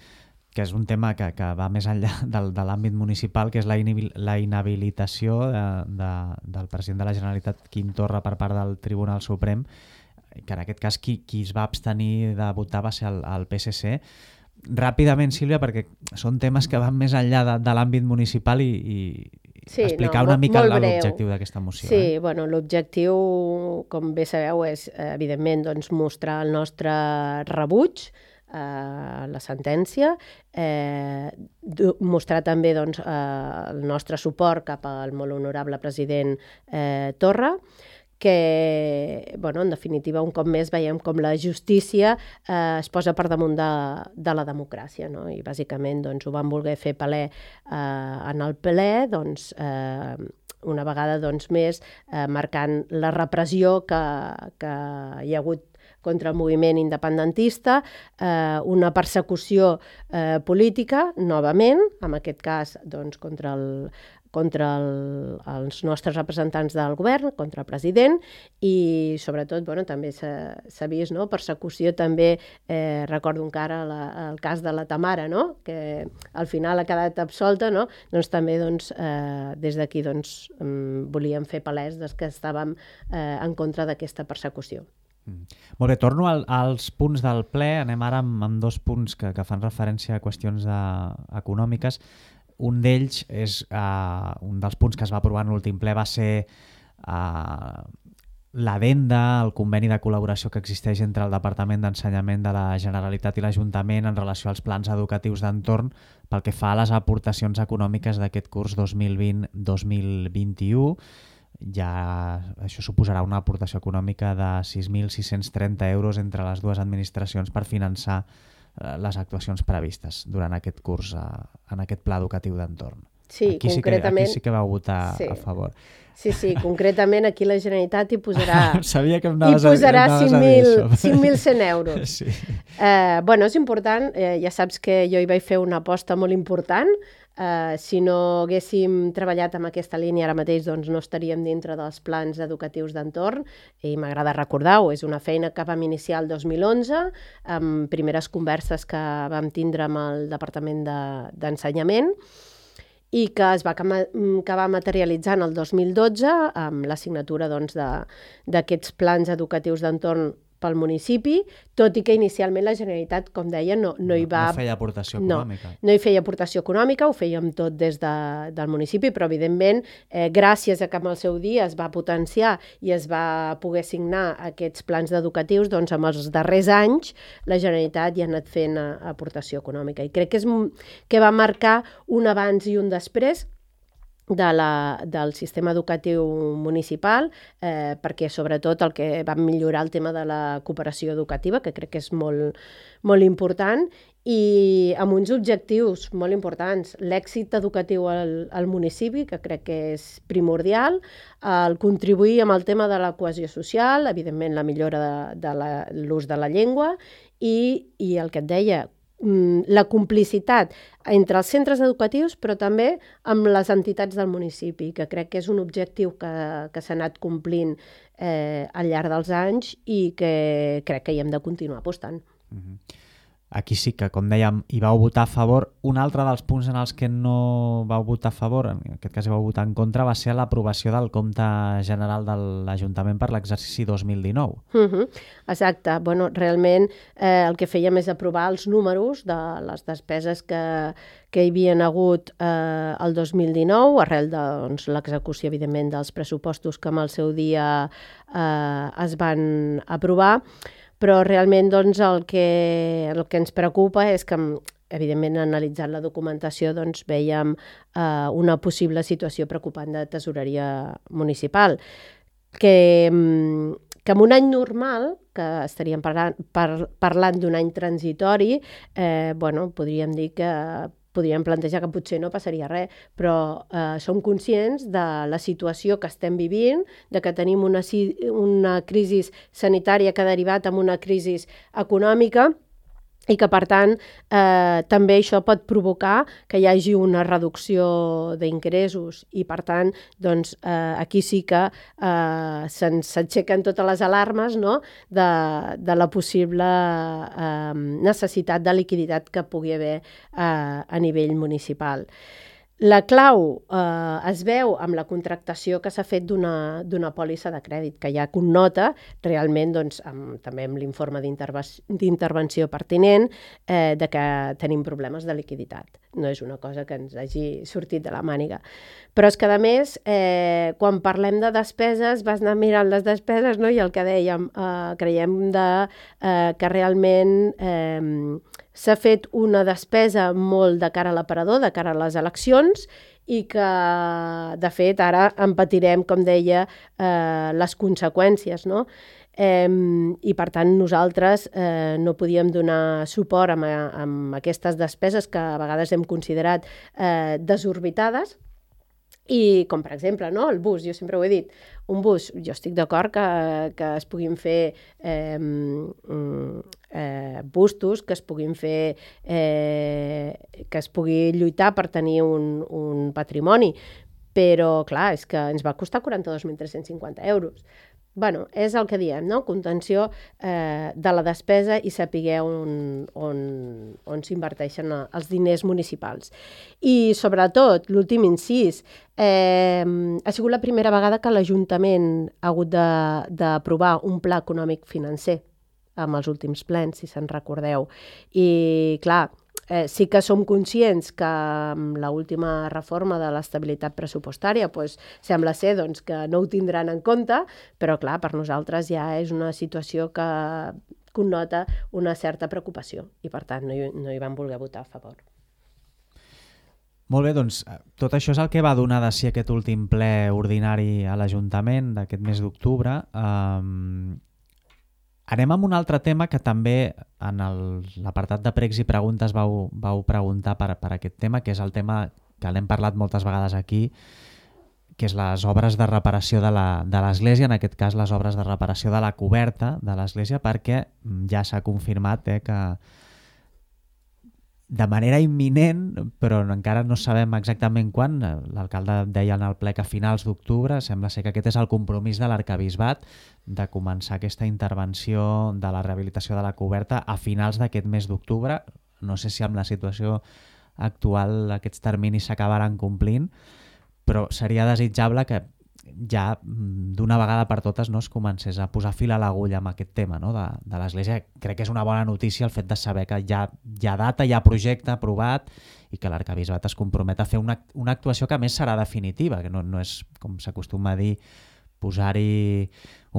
que és un tema que, que va més enllà del, de l'àmbit municipal, que és la, inhabil, la inhabilitació de, de, del president de la Generalitat, Quim Torra, per part del Tribunal Suprem, que en aquest cas qui, qui es va abstenir de votar va ser el, el P S C. Ràpidament, Sílvia, perquè són temes que van més enllà de, de l'àmbit municipal i, i sí, explicar no, una mica l'objectiu d'aquesta moció. Sí, eh? bueno, l'objectiu, com bé sabeu, és evidentment doncs, mostrar el nostre rebuig a la sentència, eh, mostrar també doncs, eh, el nostre suport cap al molt honorable president eh, Torra, que, bueno, en definitiva, un cop més veiem com la justícia eh, es posa per damunt de, de la democràcia, no? I bàsicament doncs, ho van voler fer palè eh, en el ple, doncs, eh, una vegada doncs, més eh, marcant la repressió que, que hi ha hagut contra el moviment independentista, eh, una persecució eh, política, novament, en aquest cas doncs, contra, el, contra el, els nostres representants del govern, contra el president, i sobretot bueno, també s'ha vist no? persecució també, eh, recordo encara la, el cas de la Tamara, no? Que al final ha quedat absolta, no? Doncs també doncs, eh, des d'aquí doncs, volíem fer palès des que estàvem eh, en contra d'aquesta persecució. Mm. Molt bé, torno al, als punts del ple. Anem ara amb, amb dos punts que, que fan referència a qüestions de, econòmiques. Un d'ells és, uh, un dels punts que es va aprovar en l'últim ple va ser uh, l'addenda, el conveni de col·laboració que existeix entre el Departament d'Ensenyament de la Generalitat i l'Ajuntament en relació als plans educatius d'entorn pel que fa a les aportacions econòmiques d'aquest curs dos mil vint dos mil vint-i-u. Ja això suposarà una aportació econòmica de sis mil sis-cents trenta euros entre les dues administracions per finançar eh, les actuacions previstes durant aquest curs eh, en aquest pla educatiu d'entorn. Sí, aquí, concretament, sí que, aquí sí que vau votar sí. a favor. Sí, sí, concretament aquí la Generalitat hi posarà, Sabia que em hi posarà anaves cinc mil cent euros. Sí. Eh, bueno, és important, eh, ja saps que jo hi vaig fer una aposta molt important. Uh, si no haguéssim treballat amb aquesta línia ara mateix doncs no estaríem dintre dels plans educatius d'entorn i m'agrada recordar-ho, és una feina que vam iniciar el dos mil onze amb primeres converses que vam tindre amb el Departament de, d'Ensenyament i que es va acabar materialitzant el dos mil dotze amb la signatura doncs, de, d'aquests plans educatius d'entorn pel municipi, tot i que inicialment la Generalitat, com deia, no, no hi va... No feia aportació econòmica. No, no hi feia aportació econòmica, ho fèiem tot des de, del municipi, però evidentment, eh, gràcies a que en el seu dia es va potenciar i es va poder signar aquests plans educatius, doncs amb els darrers anys la Generalitat ja ha anat fent aportació econòmica. I crec que, és, que va marcar un abans i un després de la, del sistema educatiu municipal, eh, perquè sobretot el que va millorar el tema de la cooperació educativa, que crec que és molt, molt important, i amb uns objectius molt importants. L'èxit educatiu al, al municipi, que crec que és primordial, el contribuir amb el tema de la cohesió social, evidentment la millora de, de la, l'ús de la llengua, i, i el que et deia, la complicitat entre els centres educatius, però també amb les entitats del municipi, que crec que és un objectiu que, que s'ha anat complint eh, al llarg dels anys i que crec que hi hem de continuar apostant. Mm-hmm. Aquí sí que, com dèiem, hi vau votar a favor. Un altre dels punts en els que no vau votar a favor, en aquest cas hi vau votar en contra, va ser l'aprovació del compte general de l'Ajuntament per l'exercici dos mil dinou. Uh-huh. Exacte. Bueno, realment eh, el que fèiem és aprovar els números de les despeses que, que hi havien hagut eh, el dos mil dinou, arrel de doncs, l'execució, evidentment, dels pressupostos que en el seu dia eh, es van aprovar. Però realment doncs, el, que, el que ens preocupa és que, evidentment, analitzant la documentació, doncs, veiem eh, una possible situació preocupant de tesoreria municipal. que, que en un any normal, que estaríem parlant, par, parlant d'un any transitori, eh, bueno, podríem dir que podríem plantejar que potser no passaria res, però eh, som conscients de la situació que estem vivint, de que tenim una, una crisi sanitària que ha derivat en una crisi econòmica, i que, per tant, eh, també això pot provocar que hi hagi una reducció d'ingressos i, per tant, doncs, eh, aquí sí que eh, s'aixequen totes les alarmes, no?, de, de la possible eh, necessitat de liquiditat que pugui haver eh, a nivell municipal. La clau eh, es veu amb la contractació que s'ha fet d'una d'una pòlissa de crèdit, que ja connota realment, doncs, amb, també amb l'informe d'intervenció pertinent, eh, de que tenim problemes de liquiditat. No és una cosa que ens hagi sortit de la màniga. Però és que, a més, eh, quan parlem de despeses, vas anar mirant les despeses, no? I el que dèiem, eh, creiem de, eh, que realment eh, s'ha fet una despesa molt de cara a l'aparador, de cara a les eleccions, i que, de fet, ara en patirem, com deia, eh, les conseqüències, no? Eh, I, per tant, nosaltres eh, no podíem donar suport amb, amb aquestes despeses que a vegades hem considerat eh, desorbitades, i com, per exemple, no, el bus, jo sempre ho he dit, un bus, jo estic d'acord que, que es puguin fer eh, eh, bustos, que es puguin fer, eh, que es pugui lluitar per tenir un, un patrimoni, però, clar, és que ens va costar quaranta-dos mil tres-cents cinquanta euros. Bueno, és el que diem, no? Contenció eh, de la despesa i saber on, on, on s'inverteixen els diners municipals. I, sobretot, l'últim incís, eh, ha sigut la primera vegada que l'Ajuntament ha hagut d'aprovar un pla econòmic financer amb els últims plens, si se'n recordeu. I, clar, Eh, sí que som conscients que amb l'última reforma de l'estabilitat pressupostària pues, sembla ser doncs, que no ho tindran en compte, però clar, per nosaltres ja és una situació que connota una certa preocupació i per tant no hi, no hi vam voler votar a favor. Molt bé, doncs tot això és el que va donar de si aquest últim ple ordinari a l'Ajuntament d'aquest mes d'octubre. Um... Anem amb un altre tema que també en l'apartat de pregs i preguntes vau, vau preguntar per, per aquest tema, que és el tema que l'hem parlat moltes vegades aquí, que és les obres de reparació de l'Església, en aquest cas les obres de reparació de la coberta de l'Església, perquè ja s'ha confirmat eh, que de manera imminent, però encara no sabem exactament quan, l'alcalde deia en el ple que a finals d'octubre, sembla ser que aquest és el compromís de l'Arquebisbat de començar aquesta intervenció de la rehabilitació de la coberta a finals d'aquest mes d'octubre. No sé si amb la situació actual aquests terminis s'acabaran complint, però seria desitjable que ja d'una vegada per totes no es comencés a posar fil a l'agulla amb aquest tema no? de, de l'Església. Crec que és una bona notícia el fet de saber que hi ha, hi ha data, hi ha projecte aprovat i que l'Arquebisbat es compromet a fer una, una actuació que a més serà definitiva, que no, no és, com s'acostuma a dir, posar-hi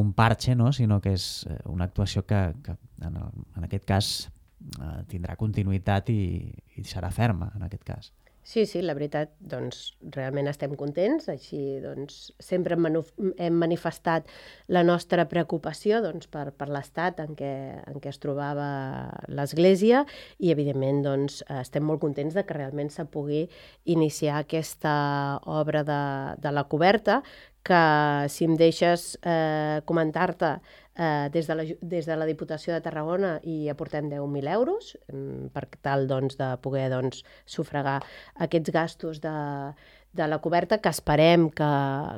un parche, no? Sinó que és una actuació que, que en, el, en aquest cas eh, tindrà continuïtat i, i serà ferma en aquest cas. Sí, sí, la veritat, doncs, realment estem contents, així doncs, sempre hem manifestat la nostra preocupació doncs, per, per l'estat en què, en què es trobava l'Església i, evidentment, doncs, estem molt contents de que realment se pugui iniciar aquesta obra de, de la coberta, que, si em deixes eh, comentar-te, eh, des, de la, des de la Diputació de Tarragona hi aportem deu mil euros eh, per tal doncs, de poder doncs, sufragar aquests gastos de, de la coberta, que esperem que,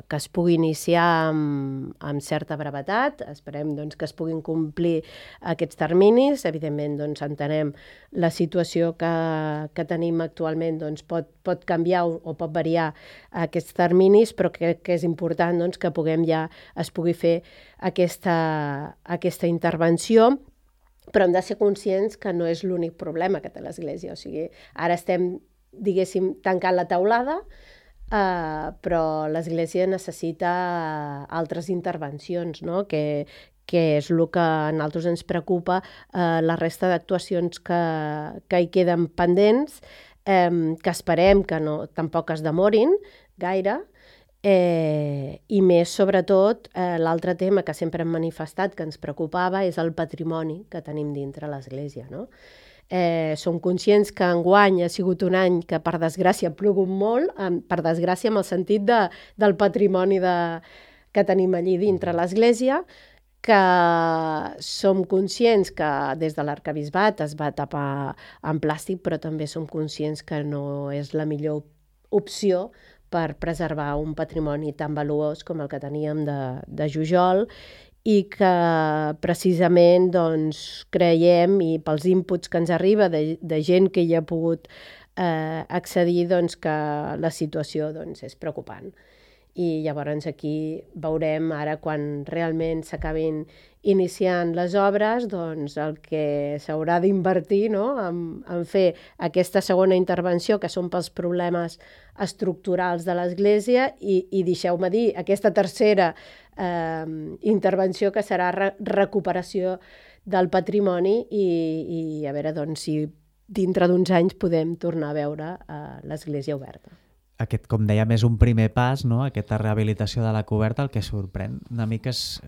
que es pugui iniciar amb, amb certa brevetat, esperem doncs, que es puguin complir aquests terminis. Evidentment, doncs, entenem la situació que, que tenim actualment doncs, pot, pot canviar o, o pot variar aquests terminis, però crec que és important doncs, que puguem ja es pugui fer aquesta, aquesta intervenció, però hem de ser conscients que no és l'únic problema que té l'Església. O sigui, ara estem, diguéssim, tancant la teulada, Uh, però l'Església necessita altres intervencions, no? que, que és el que a nosaltres ens preocupa, uh, la resta d'actuacions que, que hi queden pendents, um, que esperem que no, tampoc es demorin gaire, Eh, I més, sobretot, eh, l'altre tema que sempre hem manifestat que ens preocupava és el patrimoni que tenim dintre l'Església, no? Eh, som conscients que enguany ha sigut un any que, per desgràcia, ha plogut molt, per desgràcia en el sentit de, del patrimoni de, que tenim allí dintre l'Església, que som conscients que des de l'Arquebisbat es va tapar en plàstic, però també som conscients que no és la millor opció per preservar un patrimoni tan valuós com el que teníem de, de Jujol, i que precisament doncs, creiem, i pels inputs que ens arriba de, de gent que hi ha pogut eh, accedir, doncs, que la situació doncs, és preocupant. I llavors aquí veurem ara quan realment s'acabin iniciant les obres, doncs el que s'haurà d'invertir, no? en, en fer aquesta segona intervenció, que són pels problemes estructurals de l'Església, i, i deixeu-me dir, aquesta tercera eh, intervenció, que serà re recuperació del patrimoni, i, i a veure doncs, si dintre d'uns anys podem tornar a veure eh, l'Església oberta. Aquest, com dèiem, és un primer pas, no? Aquesta rehabilitació de la coberta. El que sorprèn una mica és,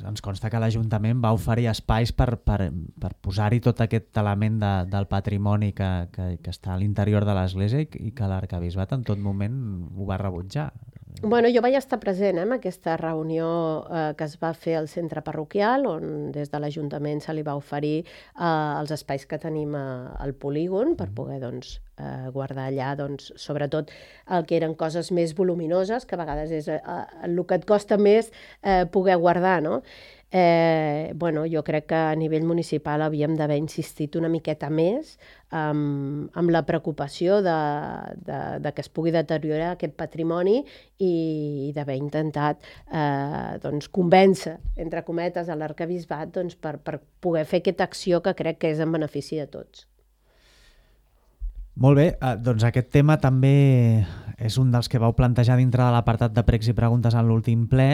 ens consta que l'Ajuntament va oferir espais per, per, per posar-hi tot aquest element de, del patrimoni que, que, que està a l'interior de l'Església, i, i que l'Arquebisbat en tot moment ho va rebutjar. Bueno, jo vaig estar present eh, en aquesta reunió eh, que es va fer al centre parroquial, on des de l'Ajuntament se li va oferir eh, els espais que tenim a, al polígon per poder doncs, eh, guardar allà, doncs, sobretot el que eren coses més voluminoses, que a vegades és eh, el que et costa més eh, poder guardar, no? Eh, bueno, jo crec que a nivell municipal havíem d'haver insistit una miqueta més amb, amb la preocupació de, de, de que es pugui deteriorar aquest patrimoni, i, i d'haver intentat eh, doncs, convèncer, entre cometes, a l'Arquebisbat doncs, per, per poder fer aquesta acció que crec que és en benefici de tots. Molt bé, eh, doncs aquest tema també és un dels que vau plantejar dintre de l'apartat de pregs i preguntes en l'últim ple.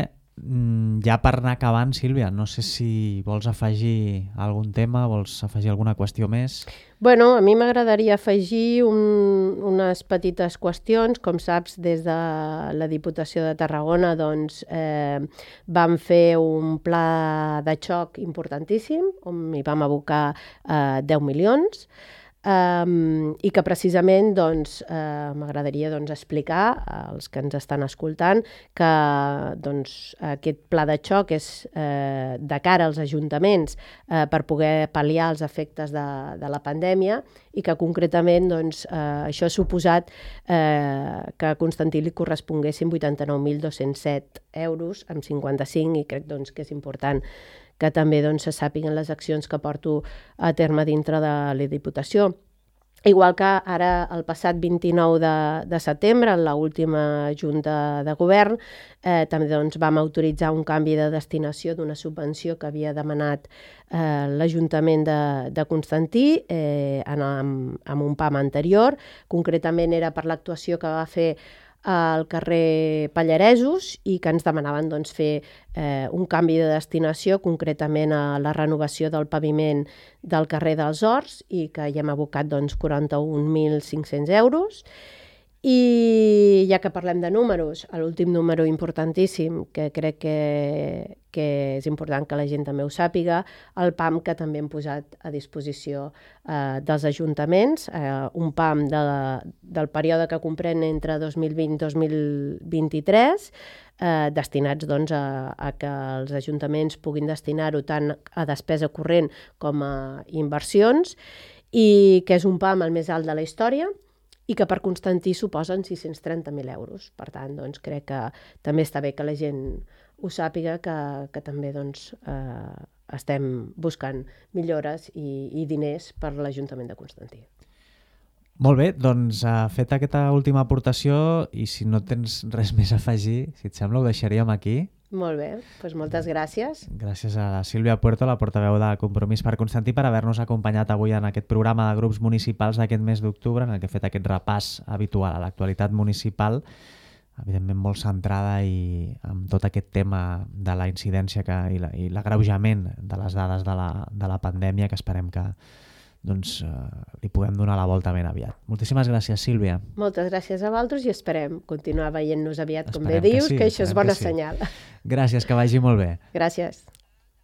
Ja per anar acabant, Sílvia, no sé si vols afegir algun tema, vols afegir alguna qüestió més? Bueno, a mi m'agradaria afegir un, unes petites qüestions. Com saps, des de la Diputació de Tarragona doncs, eh, vam fer un pla de xoc importantíssim, on hi vam abocar eh, deu milions, Um, i que precisament doncs, uh, m'agradaria doncs, explicar als que ens estan escoltant que doncs, aquest pla de xoc és uh, de cara als ajuntaments uh, per poder pal·liar els efectes de, de la pandèmia, i que concretament doncs, uh, això ha suposat uh, que a Constantí li corresponguessin vuitanta-nou mil dos-cents set euros amb cinquanta-cinc, i crec doncs, que és important que també doncs, se sàpiguen les accions que porto a terme dintre de la Diputació. Igual que ara, el passat vint-i-nou de, de setembre, en l'última Junta de Govern, eh, també doncs, vam autoritzar un canvi de destinació d'una subvenció que havia demanat eh, l'Ajuntament de, de Constantí eh, en, amb, amb un PAM anterior. Concretament era per l'actuació que va fer al carrer Pallaresos, i que ens demanaven doncs, fer eh, un canvi de destinació, concretament a la renovació del paviment del carrer dels Horts, i que hi hem abocat doncs, quaranta-un mil cinc-cents euros. I ja que parlem de números, l'últim número importantíssim, que crec que, que és important que la gent també ho sàpiga, el PAM que també hem posat a disposició eh, dels ajuntaments, eh, un PAM de, del període que comprèn entre dos mil vint i dos mil vint-i-tres, eh, destinats doncs, a, a que els ajuntaments puguin destinar-ho tant a despesa corrent com a inversions, i que és un PAM el més alt de la història, i que per Constantí suposen sis-cents trenta mil euros. Per tant, doncs, crec que també està bé que la gent ho sàpiga, que, que també doncs, eh, estem buscant millores i, i diners per l'Ajuntament de Constantí. Molt bé, doncs uh, feta aquesta última aportació, i si no tens res més a afegir, si et sembla, ho deixaríem aquí. Molt bé, doncs moltes gràcies. Gràcies a la Sílvia Puerto, la portaveu de Compromís per Constantí, per haver-nos acompanyat avui en aquest programa de grups municipals d'aquest mes d'octubre, en el que he fet aquest repàs habitual a l'actualitat municipal, evidentment molt centrada i amb tot aquest tema de la incidència que, i l'agreujament de les dades de la, de la pandèmia, que esperem que doncs, eh, li puguem donar la volta ben aviat. Moltíssimes gràcies, Sílvia. Moltes gràcies a vosaltres i esperem continuar veient-nos aviat, com Esperem bé que dius, sí, que això és esperem bona que sí. senyal. Gràcies, que vagi molt bé. Gràcies.